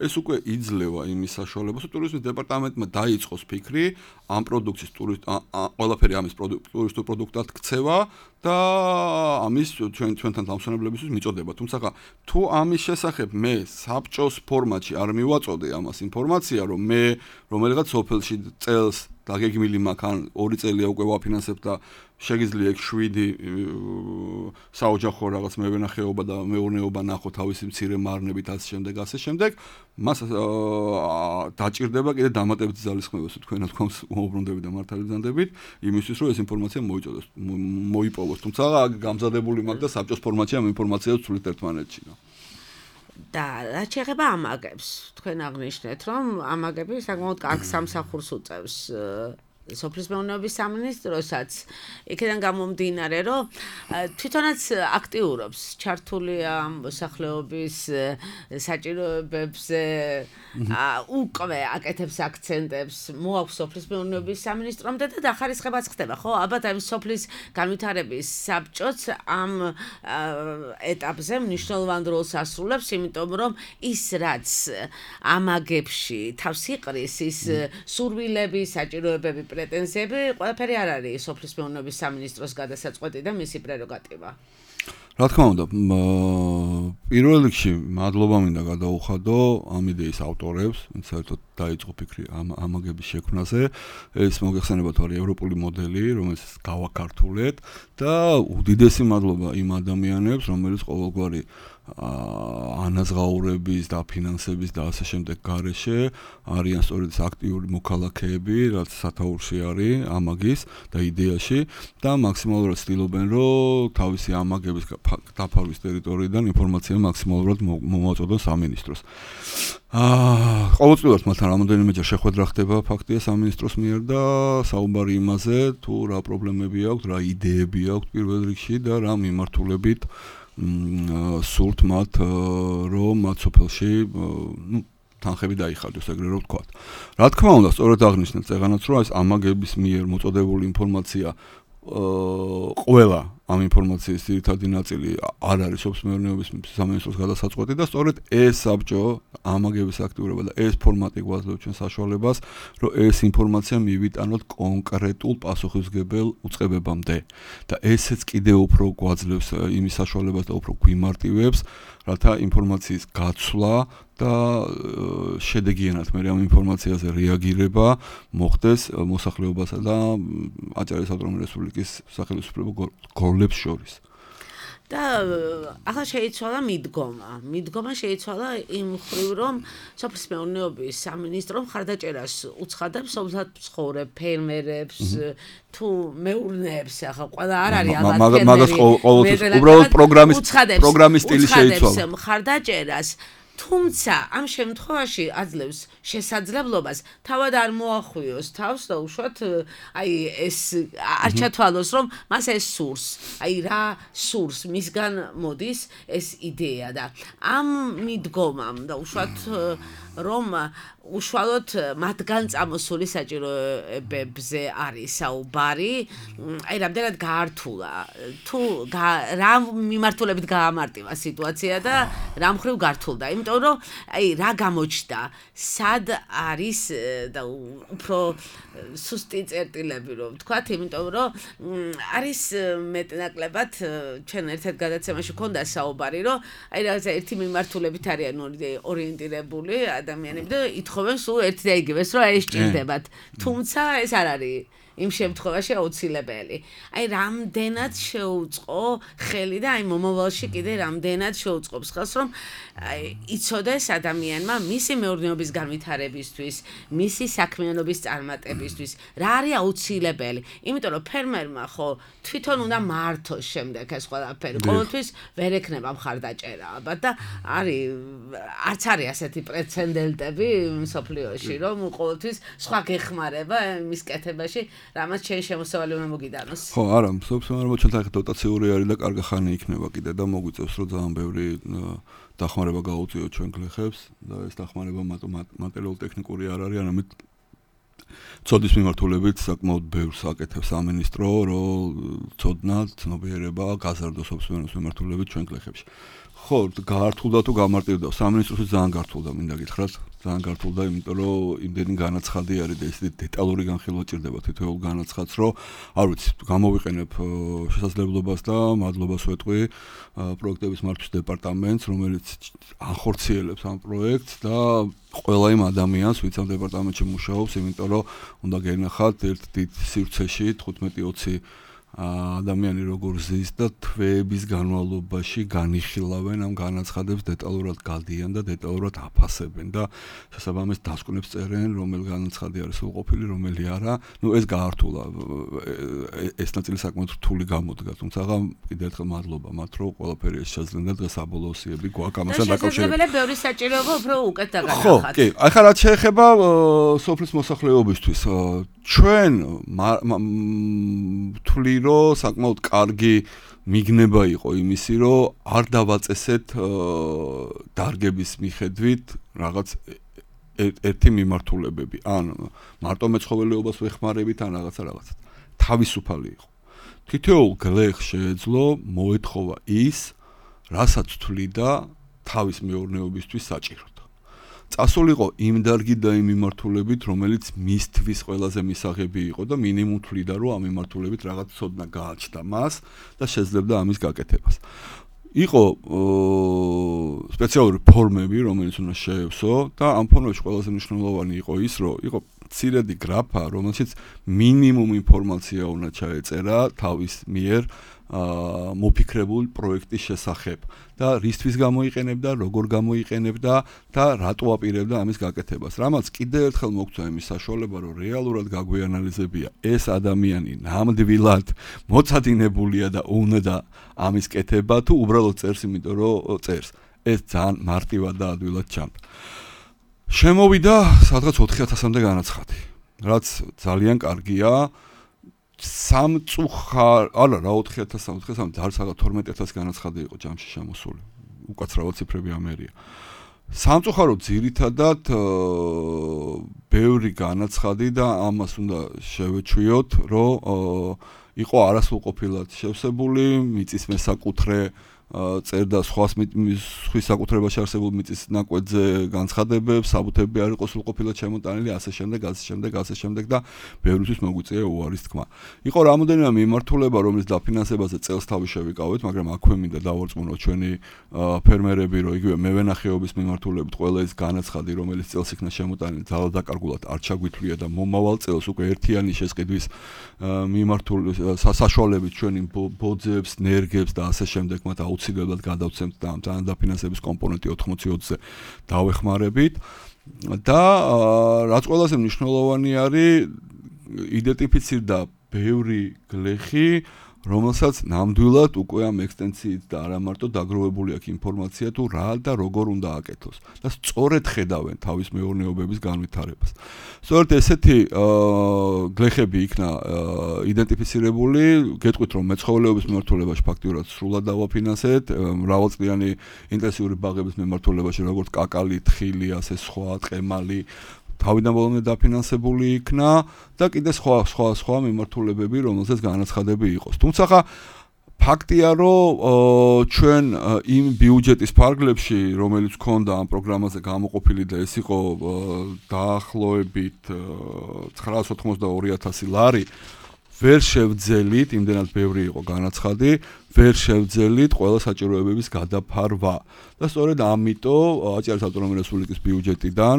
ეს უკვე იძლევა იმის საშუალებას, რომ ტურიზმის დეპარტამენტმა დაიწყოს ფიქრი ამ პროდუქციის ტურისტ ყველაფერი ამის ტურისტულ პროდუქტად ქცევა და ამის ჩვენ ჩვენთან დამსვენებლებისთვის მიწოდება. თუმცა თუ ამის შესახებ მე საბჭოს ფორმატში არ მივაწოდე ამას ინფორმაცია, რომ მე რომელიღაც სოფელში წელს დაგეგმილი მაქვს ან ორი წელია უკვე ვაფინანსებ და შეგიძლია ეგ შვიდი საოჯახო რაღაც მევენახეობა და მეურნეობა ნახო თავისი მცირე მარნებით ასე შემდეგ ასე შემდეგ მას დაჭირდება კიდე დამატებითი ძალისხმევას თქვენ თქვენს უბრუნდებით და მართალი ბრძანდებით იმისთვის რომ ეს ინფორმაცია მოიწოდოს მოიპოვოს თუმცა გამზადებული მაქვს და საბჭოს ფორმატში ამ ინფორმაციას ვცვლით ერთმანეთში და რაც შეეხება ამაგებს თქვენ აღნიშნეთ რომ ამაგები საკმაოდ კარგ სამსახურს უწევს სოფლის მეურნეობის სამინისტროსაც იქიდან გამომდინარე რომ თვითონაც აქტიურობს ჩართულია მოსახლეობის საჭიროებებზე უკვე აკეთებს აქცენტებს მოაქვს სოფლის მეურნეობის სამინისტრომდე და დახარისხებაც ხდება ხო ალბათ ამ სოფლის განვითარების საბჭოც ამ ეტაპზე მნიშვნელოვან როლს ასრულებს იმიტომ რომ ის რაც ამაგებში თავს იყრის ის სურვილები საჭიროებები პრეტენზიები ყველაფერი არ არის სოფლის მეურნეობის სამინისტროს გადასაწყვეტი და მისი პრეროგატივა. რა თქმა უნდა, პირველ რიგში მადლობა მინდა გადაუხადო ამ იდეის ავტორებს, საერთოდ დაიწყო ფიქრი ამ ამაგების შექმნაზე. ეს მოგეხსენებათ არის ევროპული მოდელი, რომელიც გავაკართულეთ და უდიდესი მადლობა იმ ადამიანებს, რომელიც ყოველგვარი ანაზღაურების და ფინანსების და ასე შემდეგ გარეშე არიან სწორედ აქტიური მოქალაქეები, რაც სათაურში არის ამაგის და იდეაში და მაქსიმალურად ცდილობენ, რომ თავისი ამაგების დაფარვის ტერიტორიიდან ინფორმაცია მაქსიმალურად მომაწოდონ სამინისტროს. აა ყოველწლიურად მათთან რამოდენიმეჯერ შეხვედრა ხდება ფაქტია სამინისტროს მიერ და საუბარი იმაზე, თუ რა პრობლემები აქვს, რა იდეები აქვს პირველ რიგში და რა მიმართულებით სულთ მათ რომ მათ სოფელში ნუ თანხები დაიხადოს ეგრე რომ ვთქვათ. რა თქმა უნდა, სწორედ აღნიშნეთ წეღანაც რომ ეს ამაგების მიერ მოწოდებული ინფორმაცია ყველა ამ ინფორმაციის ძირითადი ნაწილი არ არის სოფლმეურნეობის სამინისტროს გადასაწყვეტი და სწორედ ეს საბჭო ამაგების აქტიურობა და ეს ფორმატი გვაძლევს ჩვენ საშუალებას, რომ ეს ინფორმაცია მივიტანოთ კონკრეტულ პასუხისმგებელ უწყებებამდე და ესეც კიდევ უფრო გვაძლევს იმის საშუალებას და უფრო გვიმარტივებს, რათა ინფორმაციის გაცვლა და შედეგიანად მე ამ ინფორმაციაზე რეაგირება მოხდეს მოსახლეობასა და აჭარის ავტონომიური რესპუბლიკის სახელმწიფო გორლებს შორის. და ახლა შეიცვალა მიდგომა. მიდგომა შეიცვალა იმ ხრივ, რომ სოფლმეურნეობის სამინისტრო მხარდაჭერას უცხადებს სოფლად მცხოვრებ ფერმერებს თუ მეურნეებს, ახლა ყველა არ არის ალბათ ფერმერი. მაგას ყოველთვის უბრალოდ პროგრამის პროგრამის სტილი შეიცვალა. მხარდაჭერას თუმცა ამ შემთხვევაში აძლევს შესაძლებლობას თავად არ მოახვიოს თავს და უშუალოდ აი ეს არ ჩათვალოს რომ მას ეს სურს აი რა სურს მისგან მოდის ეს იდეა და ამ მიდგომამ და უშუალოდ რომ უშუალოდ მათგან წამოსული საჭიროებებზე არის საუბარი აი რამდენად გაართულა თუ რა მიმართულებით გაამარტივა სიტუაცია და რა მხრივ გართულდა იმიტომ რომ აი რა გამოჩნდა სად არის და უფრო სუსტი წერტილები რომ ვთქვათ იმიტომ რომ არის მეტნაკლებად ჩვენ ერთ-ერთ გადაცემაში ქონდა საუბარი რომ აი რაღაცა ერთი მიმართულებით არიან ორიენტირებული ადამიანები და ითხოვენ სულ ერთი და იგივეს რომ ეს ჭირდებათ თუმცა ეს არ არის იმ შემთხვევაში აუცილებელი. აი რამდენად შეუწყო ხელი და აი მომავალში კიდე რამდენად შეუწყობს ხელს რომ აი იცოდეს ადამიანმა მისი მეურნეობის განვითარებისთვის, მისი საქმიანობის წარმატებისთვის რა არის აუცილებელი. იმიტომ რომ ფერმერმა ხო თვითონ უნდა მართოს შემდეგ ეს ყველაფერი. ყოველთვის ვერ ექნება მხარდაჭერა ალბათ და არის არც არის ასეთი პრეცედენტები მსოფლიოში რომ ყოველთვის სხვა გეხმარება მის კეთებაში რამაც შეიძლება შემოსავალი უნდა მოგიდანოს. ხო, არა, სოფლმეურნეობა ჩვენთან დოტაციური არის და კარგი ხანი იქნება კიდე და მოგვიწევს რომ ძალიან ბევრი დახმარება გაუწიოთ ჩვენ გლეხებს და ეს დახმარება მატერიალურ-ტექნიკური არ არის, არამედ ცოდნის მიმართულებით საკმაოდ ბევრს აკეთებს სამინისტრო, რომ ცოდნა, ცნობიერება გაზარდოს სოფლმეურნეობის მიმართულებით ჩვენ გლეხებში. ხო, გაართულდა თუ გამარტივდა, სამინისტროში ძალიან გართულდა, მინდა გითხრათ, ძალიან გართულდა, იმიტომ რომ იმდენი განაცხადი არის და ისეთი დეტალური განხილვა ჭირდება თითოეულ განაცხადს, რომ არ ვიცი, გამოვიყენებ შესაძლებლობას და მადლობას ვეტყვი პროექტების მართვის დეპარტამენტს, რომელიც ახორციელებს ამ პროექტს და ყველა იმ ადამიანს, ვინც ამ დეპარტამენტში მუშაობს, იმიტომ რომ უნდა გენახათ ერთ დიდ სივრცეში თხუთმეტი ოცი ადამიანი როგორ ზის და თვეების განმავლობაში განიხილავენ ამ განაცხადებს დეტალურად გადიან და დეტალურად აფასებენ და შესაბამის დასკვნებს წერენ რომელი განაცხადი არის სრულყოფილი რომელი არა ნუ ეს გაართულა ეს ნაწილი საკმაოდ რთული გამოდგა თუმცა კიდევ ერთხელ მადლობა მათ რომ ყველაფერი ეს შეძლენ და დღეს საბოლოო სიები გვაქვს ამასთან დაკავშირებით შესაძლებელი ბევრი საჭიროება უფრო უკეთ დაგანახათ ხო კი ახლა რაც შეეხება სოფლის მოსახლეობისთვის ჩვენ თვლი რომ საკმაოდ კარგი მიგნება იყო იმისი რომ არ დავაწესეთ დარგების მიხედვით რაღაც ერთი მიმართულებები ან მარტო მეცხოველეობას ვეხმარებით ან რაღაცა რაღაცა თავისუფალი იყო თითოეულ გლეხს შეეძლო მოეთხოვა ის რასაც თვლიდა თავის მეურნეობისთვის საჭირო წასულიყო იმ დარგი და იმ მიმართულებით, რომელიც მისთვის ყველაზე მისაღები იყო და მინიმუმ თვლიდა, რომ ამ მიმართულებით რაღაც ცოდნა გააჩნდა მას და შეძლებდა ამის გაკეთებას. იყო სპეციალური ფორმები, რომელიც უნდა შეევსო და ამ ფორმებში ყველაზე მნიშვნელოვანი იყო ის, რომ იყო მცირედი გრაფა, რომელშიც მინიმუმ ინფორმაცია უნდა ჩაეწერა თავის მიერ აა მოფიქრებულ პროექტის შესახებ და რისთვის გამოიყენებდა, როგორ გამოიყენებდა და რატო აპირებდა ამის გაკეთებას. რამაც კიდევ ერთხელ მოგწვა იმის საშუალება, რომ რეალურად გაგვიანალიზებია ეს ადამიანი ნამდვილად მოწადინებულია და უნდა ამის კეთება თუ უბრალოდ წერს, იმიტომ რომ წერს. ეს ძალიან მარტივად და ადვილად ჩანდა. შემოვიდა სადღაც ოთხი ათასამდე განაცხადი, რაც ძალიან კარგია. სამწუხარ, არა რა ოთხი ათასი, ოთხი ათასი, ძალიან სადღაც თორმეტი ათასი განაცხადი იყო ჯამში შემოსული. უკაცრავად ციფრები ამერია. სამწუხაროდ ძირითადად ბევრი განაცხადი და ამას უნდა შევეჩვიოთ, რომ იყო არასრულყოფილად შევსებული, მიწის მესაკუთრე წერდა სხვა სხვის საკუთრებაში არსებულ მიწის ნაკვეთზე განცხადებებს, საბუთები არ იყო სრულყოფილად შემოტანილი, ასე შემდეგ, ასე შემდეგ, ასე შემდეგ და ბევრისთვის მოგვიწია უარის თქმა. იყო რამოდენიმე მიმართულება, რომლის დაფინანსებაზე წელს თავი შევიკავეთ, მაგრამ აქვე მინდა დავარწმუნოთ ჩვენი ფერმერები, რომ იგივე მევენახეობის მიმართულებით ყველა ის განაცხადი, რომელიც წელს იქნა შემოტანილი, ძალად დაკარგულად არ ჩაგვითვლია და მომავალ წელს უკვე ერთიანი შესყიდვის მიმართული საშუალებით ჩვენი ბოძებს, ნერგებს და ასე შემდეგ მათ აუცილებლად გადავცემთ და ამ დაფინანსების კომპონენტი ოთხმოცი ოცზე დავეხმარებით და რაც ყველაზე მნიშვნელოვანი არის, იდენტიფიცირდა ბევრი გლეხი, რომელსაც ნამდვილად უკვე ამ ექსტენციით და არა მარტო დაგროვებული აქვს ინფორმაცია თუ რა და როგორ უნდა აკეთოს და სწორედ ხედავენ თავის მეურნეობების განვითარებას. სწორედ ესეთი გლეხები იქნა იდენტიფიცირებული, გეტყვით რომ მეცხოველეობის მიმართულებაში ფაქტიურად სრულად დავაფინანსეთ, მრავალწლიანი ინტენსიური ბაღების მიმართულებაში როგორც კაკალი, თხილი, ასე სხვა, ტყემალი თავიდან ბოლომდე დაფინანსებული იქნა და კიდე სხვა სხვა სხვა მიმართულებები, რომელზეც განაცხადები იყოს. თუმცა ფაქტია, რომ ჩვენ იმ ბიუჯეტის ფარგლებში, რომელიც ჰქონდა ამ პროგრამაზე გამოყოფილი და ეს იყო დაახლოებით ცხრაას ოცდაორი ათასი ლარი, ვერ შევძელით, იმდენად ბევრი იყო განაცხადი, ვერ შევძელით ყველა საჭიროებების გადაფარვა. და სწორედ ამიტომ აჭარის ავტონომიური რესპუბლიკის ბიუჯეტიდან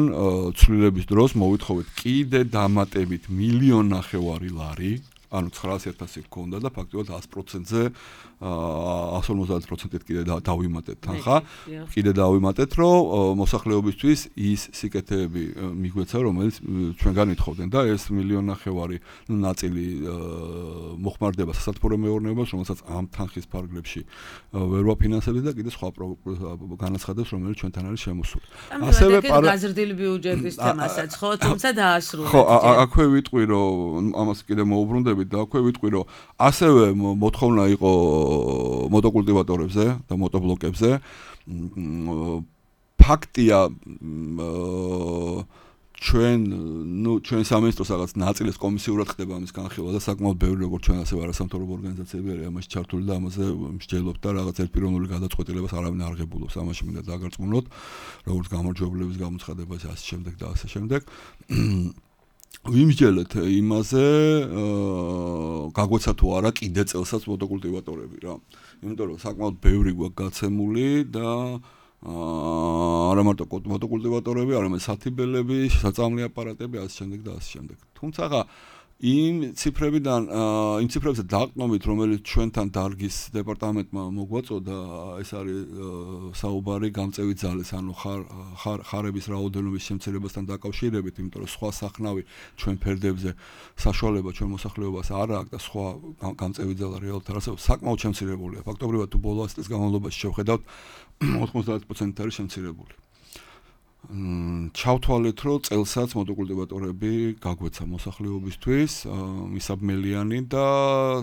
ცვლილების დროს მოვითხოვეთ კიდე დამატებით მილიონ ნახევარი ლარი, ანუ ცხრაას ათასი ჰქონდა და ფაქტობრივად ას პროცენტზე ას ორმოცდაათი პროცენტით კიდე დავიმატეთ თანხა. კიდე დავიმატეთ, რომ მოსახლეობისთვის ის სიკეთეები მიგვეცა, რომელიც ჩვენგან ითხოვდნენ და ეს მილიონ ნახევარი ნაწილი მოხმარდება სასათბურო მეურნეობას, რომელსაც ამ თანხის ფარგლებში ვერ ვაფინანსებთ და კიდე სხვა განაცხადებს, რომელიც ჩვენთან არის შემოსული. ასევე გაზრდილი ბიუჯეტის თემასაც ხო, თუმცა დაასრულეთ. ხო, აქვე ვიტყვი, რომ ამას კიდე მოუბრუნდებით და აქვე ვიტყვი, რომ ასევე მოთხოვნა იყო მოტოკულტივატორებზე და მოტობლოკებზე. ფაქტია, ჩვენ, ნუ ჩვენ სამინისტროს რაღაც ნაწილის კომისიურად ხდება ამის განხილვა და საკმაოდ ბევრი როგორც ჩვენ ასევე არასამთავრობო ორგანიზაციები არის ამაში ჩართული და ამაზე მსჯელობთ და რაღაც ერთპიროვნული გადაწყვეტილებას არავინ არ ღებულობს. ამაში მინდა დაგარწმუნოთ, როგორც გამარჯვებულების გამოცხადებაში ასე შემდეგ და ასე შემდეგ. ვიმსჯელეთ იმაზე, გაგვეცა თუ არა კიდე წელსაც მოტოკულტივატორები რა. იმიტომ რომ საკმაოდ ბევრი გვაქვს გაცემული და არა მარტო მოტოკულტივატორები, არამედ სათიბელები, საწამლი აპარატები, ასე შემდეგ და ასე შემდეგ. თუმცა იმ ციფრებიდან, იმ ციფრებზე დაყრდნობით, რომელიც ჩვენთან დარგის დეპარტამენტმა მოგვაწოდა, ეს არის საუბარი გამწევი ძალის, ანუ ხარების რაოდენობის შემცირებასთან დაკავშირებით, იმიტომ რომ სხვა სახნავი ჩვენ ფერდებზე საშუალება ჩვენ მოსახლეობას არ აქვს და სხვა გამწევი ძალა რეალურად არ არსებობს, საკმაოდ შემცირებულია. ფაქტობრივად თუ ბოლო ას წლის განმავლობაში შევხედავთ, ოცდაათი პროცენტით არის შემცირებული. ჩავთვალეთ, რომ წელსაც მოტოკულტივატორები გაგვეცა მოსახლეობისთვის, მისაბმელიანი და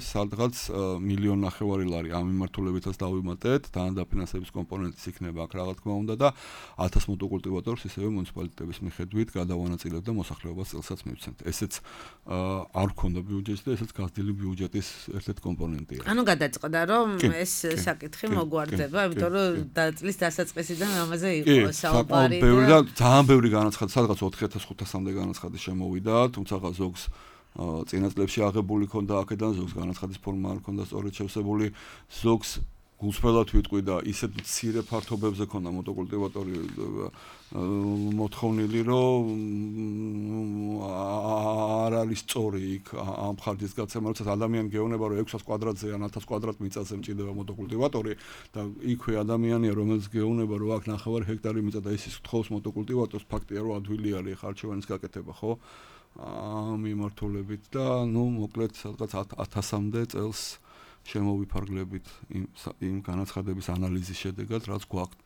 სადღაც მილიონ ნახევარი ლარი ამ მიმართულებითაც დავიმატეთ, თან დაფინანსების კომპონენტიც იქნება აქ რა თქმა უნდა და ათას მოტოკულტივატორს ისევე მუნიციპალიტეტების მიხედვით გადავანაწილებთ და მოსახლეობას წელსაც მივცემთ. ესეც არ ჰქონდა ბიუჯეტში და ესეც გაზრდილი ბიუჯეტის ერთ-ერთი კომპონენტია. ანუ გადაწყდა, რომ ეს საკითხი მოგვარდება, იმიტომ რომ წლის დასაწყისიდან ამაზე იყო საუბარი. და ძალიან ბევრი განაცხადი, სადღაც ოთხი ათას ხუთასამდე განაცხადი შემოვიდა, თუმცა ზოგს წინა წლებში აღებული ქონდა აქედან, ზოგს განაცხადის ფორმა არ ქონდა სწორედ შევსებული, ზოგს გულწრფელად ვიტყვი და ისეთ მცირე ფართობებზე ქონდა მოტოკულტივატორი მოთხოვნილი, რომ არ არის სწორი იქ ამ ხარჯის გაცემა, როცა ადამიანი გეუბნება, რომ ექვსას კვადრატზე ან ათას კვადრატ მიწაზე მჭირდება მოტოკულტივატორი და იქვე ადამიანია, რომელიც გეუბნება, რომ აქ ნახევარი ჰექტარი მიწა და ის ის გთხოვს მოტოკულტივატორს, ფაქტია, რომ ადვილი არის ხარჩევანის გაკეთება, ხო? ამ მიმართულებით და ნუ მოკლედ სადღაც ათასამდე წელს შემოვიფარგლებით იმ იმ განაცხადების ანალიზის შედეგად, რაც გვაქვს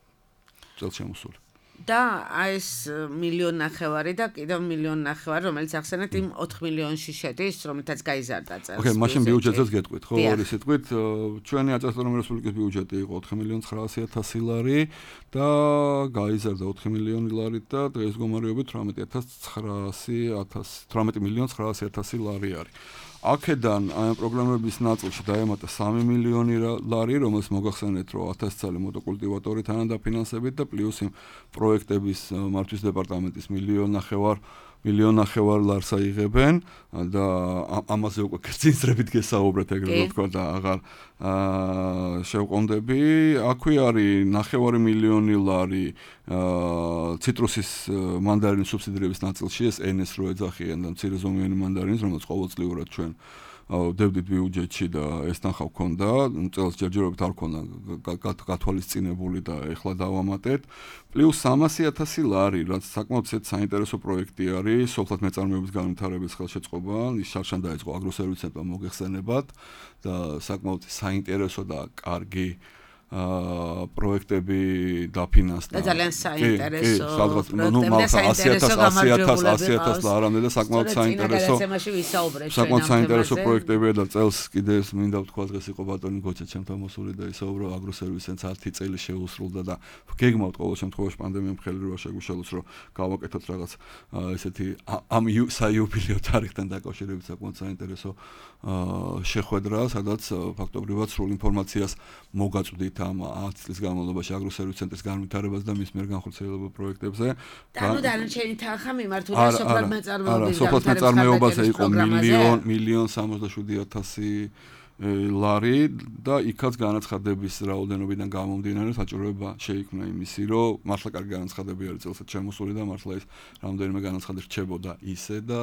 წელს შემოსული. და აი ეს მილიონ ნახევარი და კიდევ მილიონ ნახევარი, რომელიც ახსენეთ იმ ოთხ მილიონში შედის, რომელთაც გაიზარდა წელს. ოკეი, მაშინ ბიუჯეტზეც გეტყვით, ხო, ორი სიტყვით, ჩვენი აწესწორებრივი რესპუბლიკის ბიუჯეტი იყო ოთხ მილიონ ცხრაასი ათასი ლარი და გაიზარდა ოთხ მილიონი ლარით და დღეს მდგომარეობით თვრამეტი ათას ცხრაასი თვრამეტი მილიონ ცხრაასი ათასი ლარი არის. აქედან ამ პროგრამების ნაწილში დაემატა სამი მილიონი ლარი, რომელსაც მოგახსენეთ, რომ ათასი წელი მოტოკულტივატორი თანადაფინანსებით და პლუს იმ პროექტების მართვის დეპარტამენტის მილიონ ნახევარ მილიონ ნახევარ ლარს აიღებენ და ამაზე უკვე კერძინსრებით გესაუბრეთ ეგრევე ვთქვა და აღარ შევყონდები. აქვე არის ნახევარი მილიონი ლარი ციტრუსის მანდარინის სუბსიდირების ნაწილში, ეს ენეს რო ეძახიან და მცირე ზომიანი მანდარინის, რომელიც ყოველწლიურად ჩვენ დევდით ბიუჯეტში და ეს თანხა გვქონდა, წელს ჯერჯერობით არ გვქონდა გათვალისწინებული და ეხლა დავამატეთ. პლუს სამასი ათასი ლარი, რაც საკმაოდ საინტერესო პროექტი არის, სოფლად მეწარმეობის განვითარების ხელშეწყობა, ის შარშან დაიწყო აგროსერვისის ცენტრმა მოგეხსენებათ და საკმაოდ საინტერესო და კარგი აა პროექტები დაფინანსდა. და ძალიან საინტერესო. სადღაც ნუ მალთა ასი ათას ლარამდე და საკმაოდ საინტერესო. საკმაოდ საინტერესო პროექტებია და წელს კიდე ეს მინდა ვთქვა, დღეს იყო ბატონი გოჩა ჩემთან მოსული და ისაუბრა აგროსერვისის ცენტრს ათი წელი შეუსრულდა და გეგმავთ ყოველ შემთხვევაში პანდემიამ ხელი როა შეგვიშალოს, რომ გავაკეთოთ რაღაც ესეთი ამ საიუბილეო თარიღთან დაკავშირებით საკმაოდ საინტერესო შეხვედრა, სადაც ფაქტობრივად სრულ ინფორმაციას მოგაწვდით ამ ათი წლის განმავლობაში აგროსერვისის ცენტრის განვითარებას და მის მიერ განხორციელებულ პროექტებზე. და ნუ დანარჩენი თანხა მიმართულია სოფლად მეწარმეობის სოფლად მეწარმეობაზე იყო მილიონ მილიონ სამოცდაშვიდი ათასი ლარი და იქაც განაცხადების რაოდენობიდან გამომდინარე საჭიროება შეიქმნა იმისი, რომ მართლა კარგი განაცხადები არის წელსაც შემოსული და მართლა ის რამდენიმე განაცხადი რჩებოდა ისე და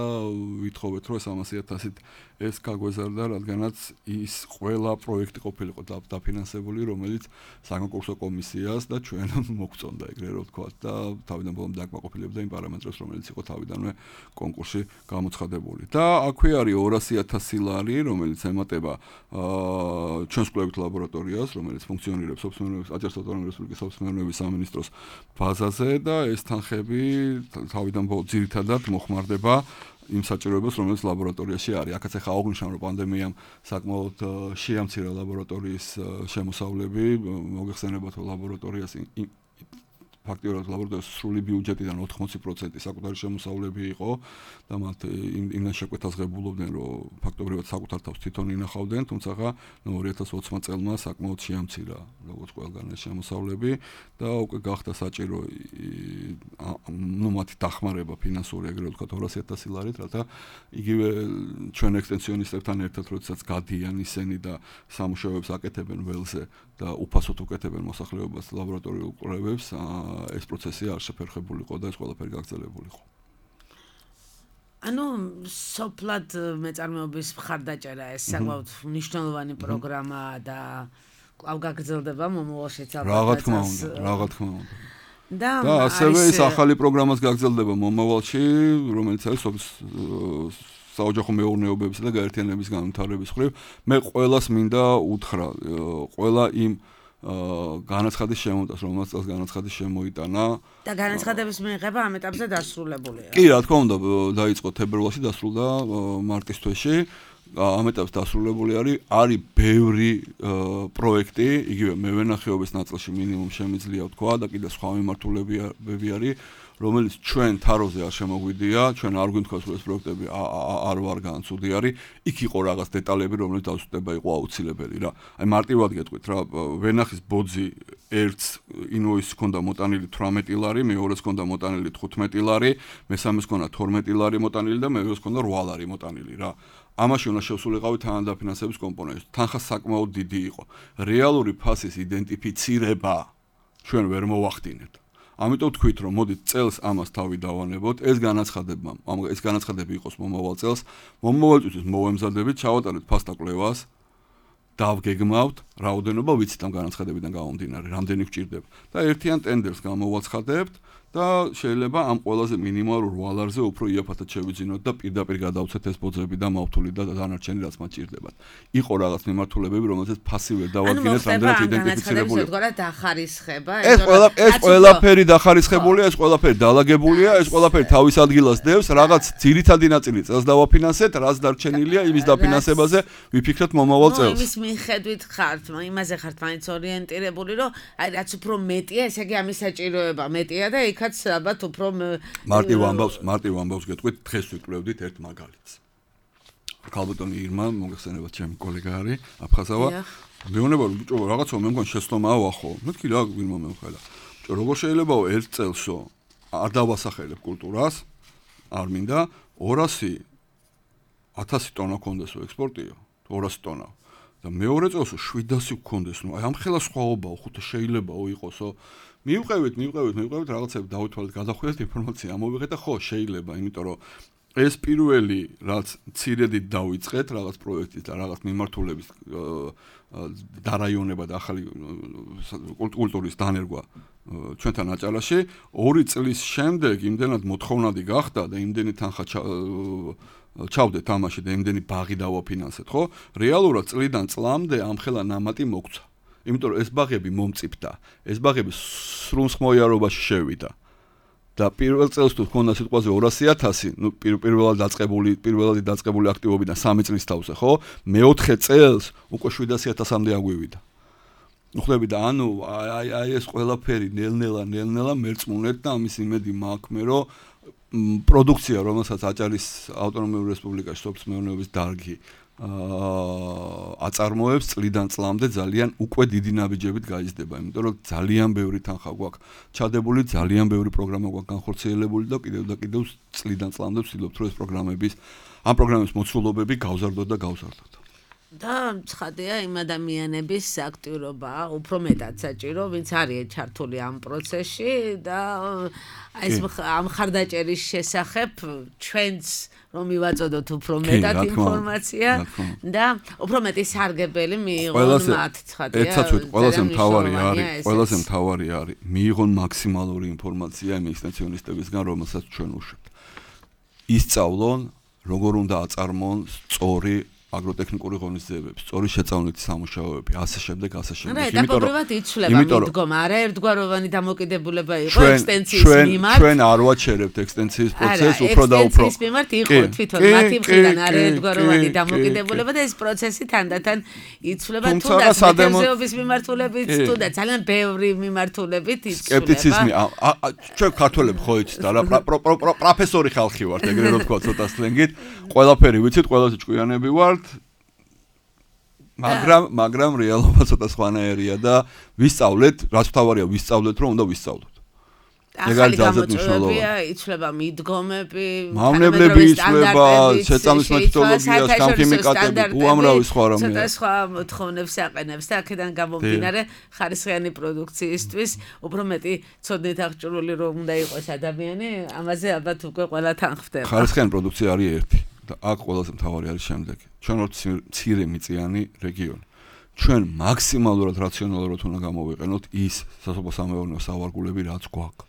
ვითხოვეთ, რომ სამასი ათასით ეს გაგვეზარდა, რადგანაც ის ყველა პროექტი ყოფილიყო დაფინანსებული, რომელიც საკონკურსო კომისიას და ჩვენ მოგწონდა ეგრე რომ ვთქვათ და თავიდან ბოლომდე აკმაყოფილებდა იმ პარამეტრებს, რომელიც იყო თავიდანვე კონკურსში გამოცხადებული. და აქვე არის ორასი ათასი ლარი, რომელიც ემატება აა ჩვენს კვლევით ლაბორატორიას, რომელიც ფუნქციონირებს სოფსმერნეობის აჭარისწყლის რესპუბლიკის სოფსმერნეობის სამინისტროს ბაზაზე და ეს თანხები თავიდან ბოლომდე ძირითადად მოხმარდება იმ საჭიროებას, რომელიც ლაბორატორიაში არის. აქაც ახლა აღნიშნავ, რომ პანდემიამ საკმაოდ შეამცირა ლაბორატორიის შემოსავლები, მოგეხსენებათ, რომ ლაბორატორიას ფაქტიურად ლაბორატორიის სრული ბიუჯეტიდან ოთხმოცი პროცენტი საკუთარი შემოსავლები იყო და მათ იმდან შეკვეთას ღებულობდნენ, რომ ფაქტობრივად საკუთარ თავს თვითონ ინახავდნენ, თუმცა ორი ათას ოცი წელმა საკმაოდ შეამცირა როგორც ყველგან ეს შემოსავლები და უკვე გახდა საჭირო ნუ მათი დახმარება ფინანსური, ეგრევე ვთქვათ, ორასი ათასი ლარით, რათა იგივე ჩვენ ექსტენსიონისტებთან ერთად, როდესაც გადიან ისინი და სამუშაოებს აკეთებენ ველზე და უფასოდ უკეთებენ მოსახლეობას ლაბორატორიულ კვლევებს, ეს პროცესი არ შეფერხებულიყო და ეს ყველაფერი გაგრძელებულიყო. ანუ სოფლად მეწარმეობის მხარდაჭერა ეს საკმაოდ მნიშვნელოვანი პროგრამა და კვლავ გაგრძელდება მომავალშიც ალბათ. რა თქმა უნდა, რა თქმა უნდა. და ასევე ეს ახალი პროგრამაც გაგრძელდება მომავალში, რომელიც არის საოჯახო მეურნეობებისა და გაერთიანების განვითარების მხრივ. მე ყველას მინდა უთხრა, ყველა იმ განაცხადის შემოტას, რომელსაც წელს განაცხადის შემოიტანა და განაცხადების მიღება ამ ეტაპზე დასრულებულია. კი, რა თქმა უნდა, დაიწყო თებერვალში, დასრულდა მარტის თვეში. ამ ეტაპზე დასრულებული არის, არის ბევრი პროექტი, იგივე მევენახეობის ნაწილში მინიმუმ შემიძლია ვთქვა და კიდე სხვა მიმართულებები არის, რომელიც ჩვენ თაროზე არ შემოგვიდია, ჩვენ არ გვინთქვას, რომ ეს პროექტები არ ვარ განცუდი არის, იქ იყო რაღაც დეტალები, რომელიც დასუსტება იყო აუცილებელი რა. აი მარტივად გეტყვით რა, ვენახის ბოძი ერთს ინვოისი ჰქონდა მოტანილი თვრამეტი ლარი, მეორეს ჰქონდა მოტანილი თხუთმეტი ლარი, მესამეს ჰქონდა თორმეტი ლარი მოტანილი და მერვეს ჰქონდა რვა ლარი მოტანილი რა. ამაში უნდა შევსულიყავი თანადაფინანსების კომპონენტი. თანხა საკმაოდ დიდი იყო. რეალური ფასის იდენტიფიცირება ჩვენ ვერ მოვახდინეთ. ამიტომ თქვით, რომ მოდით წელს ამას თავი დავანებოთ, ეს განაცხადება, ამ ეს განაცხადები იყოს მომავალ წელს, მომავალ წელს მოვემზადებით, ჩავატარეთ ფასთა კვლევას, დავგეგმავთ, რაოდენობა ვიცით ამ განაცხადებიდან გამომდინარე, რამდენი გვჭირდება და ერთიან ტენდერს გამოვაცხადებთ და შეიძლება ამ ყველაზე მინიმალურ ვალარზე უფრო იაფათად შევიძინოთ და პირდაპირ გადავცეთ ეს ბოძები და მავთული და დანარჩენი რაც მათ ჭირდებათ. იყო რაღაც მიმართულებები, რომელზეც ფასი ვერ დავადგინეთ, რამდენად იდენტიფიცირებული. ანუ დახარისხება, ეს ყველა ეს ყველაფერი დახარისხებულია, ეს ყველაფერი დაალაგებულია, ეს ყველაფერი თავის ადგილას დევს, რაღაც ძირითადი ნაწილი წელს დავაფინანსეთ, რაც დარჩენილია იმის დაფინანსებაზე ვიფიქრეთ მომავალ წელს. ნუ იმის მიხედვით ხართ, იმაზე ხართ მაინც ორიენტირებული, რომ აი რაც უფრო მეტია, ესე იგი ამის საჭიროება მეტია და იქაც ალბათ უფრო მარტივ ამბავს, მარტივ ამბავს გეტყვით, დღეს ვიკვლევდით ერთ მაგალითს. ქალბატონი ირმა, მოგეხსენებათ ჩემი კოლეგა არის, აფხაზავა. მეუბნება რომ ბიჭო, რაღაცა მე მგონი შეცდომაა ხო? მეთქი რა ირმა მეუხელა. ბიჭო, როგორ შეიძლება ერთ წელსო არ დავასახელებ კულტურას, არ მინდა ორასი ათასი ტონა კონდესო ექსპორტიო, ორასი ტონა. და მეორე წელსო შვიდასი გქონდეს, ნუ აი ამ ხელა სხვაობაო, ხო შეიძლებაო იყოსო. მივყევით, მივყევით, მივყევით რაღაცები დავითვალეთ, გადახვიდეთ ინფორმაცია, ამოვიღეთ და ხო, შეიძლება, იმიტომ რომ ეს პირველი რაც ცირედით დავიწყეთ რაღაც პროექტის და რაღაც მიმართულების დარაიონება და ახალი კულტურის დანერგვა ჩვენთან აჭარაში, ორი წლის შემდეგ იმდენად მოთხოვნადი გახდა და იმდენი თანხა ჩავდეთ ამაში და იმდენი ბაღი დავაფინანსეთ, ხო? რეალურად წლიდან წლამდე ამ ხელა ნამატი მოგცა. იმიტომ რომ ეს ბაღები მომწიფდა, ეს ბაღები სრულსხმოიარობაში შევიდა. და პირველ წელს თუ თქონდა სიტყვაზე ორასი ათასი, ნუ პირველად დაწყებული, პირველადი დაწყებული აქტივობიდან სამი წლის თავზე, ხო? მეოთხე წელს უკვე შვიდასი ათასამდე აგვივიდა. ნუ ხვდები და ანუ აი აი ეს ყველაფერი ნელ-ნელა, ნელ-ნელა მერწმუნეთ და ამის იმედი მაქვს მე, რომ პროდუქცია, რომელსაც აჭარის ავტონომიური რესპუბლიკაში სოფლის მეურნეობის დარგი აწარმოებს წლიდან წლამდე ძალიან უკვე დიდი ნაბიჯებით გაიზრდება, იმიტომ რომ ძალიან ბევრი თანხა გვაქვს ჩადებული, ძალიან ბევრი პროგრამა გვაქვს განხორციელებული და კიდევ და კიდევ წლიდან წლამდე ვცდილობთ რომ ეს პროგრამების ამ პროგრამების მოცულობები გავზარდოთ და გავზარდოთ. და ცხადია იმ ადამიანების აქტიურობა უფრო მეტად საჭირო, ვინც არის ჩართული ამ პროცესში და აი ეს ამ ხარდაჭერის შესახებ ჩვენც რომ მივაწოდოთ უფრო მეტად ინფორმაცია და უფრო მეტი სარგებელი მიიღონ მათ, ცხადია. ერთსაც ვიტყვი, ყველაზე მთავარი არის, ყველაზე მთავარი არის მიიღონ მაქსიმალური ინფორმაცია იმ ექსტენსიონისტებისგან, რომელსაც ჩვენ უშვებთ. ისწავლონ, როგორ უნდა აწარმოონ სწორი აგროტექნიკური ღონისძიებები, სწორი შეწავლითი სამუშაოები, ასე შემდეგ, ასე შემდეგ. იმიტომ რომ იცვლება მიდგომა, არა ერთგვაროვანი დამოკიდებულება იყო ექსტენსიის მიმართ. ჩვენ არ ვაჩერებთ ექსტენსიის პროცესს, უფრო და უფრო. ექსტენსიის მიმართ იყო თვითონ მათი მხრიდან არა ერთგვაროვანი დამოკიდებულება და ეს პროცესი თანდათან იცვლება თუნდაც მეთევზეობის მიმართულებით, თუნდაც ძალიან ბევრი მიმართულებით იცვლება. სკეპტიციზმი, ჩვენ ქართველები ხო იცით, არა პროფესორი ხალხი ვართ, ეგრე რომ თქვა ცოტა სლენგით, ყველაფერი ვიცით, ყველაზე ჭკვიანები ვართ. მაგრამ მაგრამ რეალობა ცოტა სხვანაირია და ვისწავლეთ, რაც თავარია ვისწავლეთ, რომ უნდა ვისწავლოთ. ახალი გამოწვევებია, იცვლება მიდგომები, მავნებლები იცვლება, შეწამლის მეთოდოლოგია, სამქიმიკატები, უამრავი სხვა რამე. ცოტა სხვა მოთხოვნებს აყენებს და აქედან გამომდინარე ხარისხიანი პროდუქციისთვის უფრო მეტი ცოდნით აღჭურვილი რომ უნდა იყოს ადამიანი, ამაზე ალბათ უკვე ყველა თან ხვდება. ხარისხიანი პროდუქცია არის ერთი. და აქ ყველაზე მთავარი არის შემდეგი. ჩვენ ვართ მცირე მიწიანი რეგიონი. ჩვენ მაქსიმალურად რაციონალურად უნდა გამოვიყენოთ ის სასოფლო-სამეურნეო სავარგულები, რაც გვაქვს.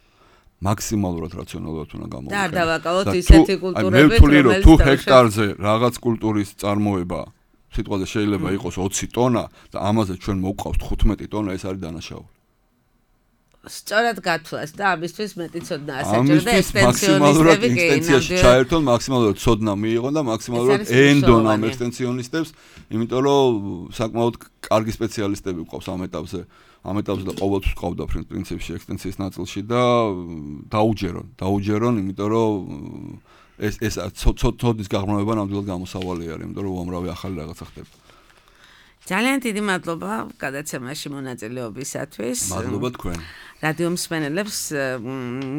მაქსიმალურად რაციონალურად უნდა გამოვიყენოთ. და არ დავაკავოთ ისეთი კულტურები, რომელიც მე ვთვლი, რომ თუ ჰექტარზე რაღაც კულტურის წარმოება სიტყვაზე შეიძლება იყოს ოცი ტონა და ამაზე ჩვენ მოვყავთ თხუთმეტი ტონა, ეს არის დანაშაული. სწორად გათვლას და ამისთვის მეტი ცოდნა ასაჭირო და ექსტენსიონისტები კი ექსტენსიაში ჩაერთონ, მაქსიმალურად ცოდნა მიიღონ და მაქსიმალურად ენდონ ამ ექსტენსიონისტებს, იმიტომ რომ საკმაოდ კარგი სპეციალისტები გვყავს ამ ეტაპზე. ამ ეტაპზე და ყოველთვის ვყავდა პრინციპში ექსტენსიის ნაწილში და დაუჯერონ, დაუჯერონ, იმიტომ რომ ეს ეს ცოდის გაღრმავება ნამდვილად გამოსავალი არის, იმიტომ რომ უამრავი ახალი რაღაცა ხდება. ძალიან დიდი მადლობა გადაცემაში მონაწილეობისათვის. მადლობა თქვენ. რადიო მსმენელებს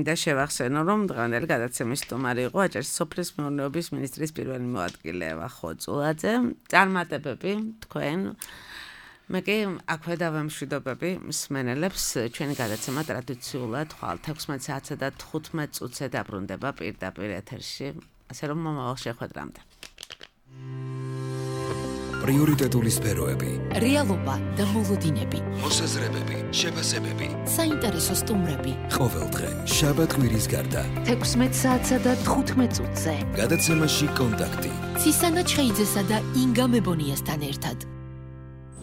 და შევახსენო, რომ დღევანდელი გადაცემის სტუმარი იყო აჭარის სოფლის მეურნეობის მინისტრის პირველი მოადგილე ევა ხოწულაძე. წარმატებები თქვენ. მე კი აქვე დავემშვიდობები მსმენელებს. ჩვენი გადაცემა ტრადიციულად ხვალ თექვსმეტ საათსა და თხუთმეტ წუთზე დაბრუნდება პირდაპირ ეთერში. ასე რომ მომავალ შეხვედრამდე. პრიორიტეტული სფეროები, რეალობა და მოლოდინები, მოსაზრებები, შეფასებები, საინტერესო სტუმრები. ყოველდღე შაბათ კვირის გარდა. თექვსმეტ საათსა და თხუთმეტ წუთზე. გადაცემაში კონტაქტი. ცისანა ჩხეიძესა და ინგა მებონიასთან ერთად.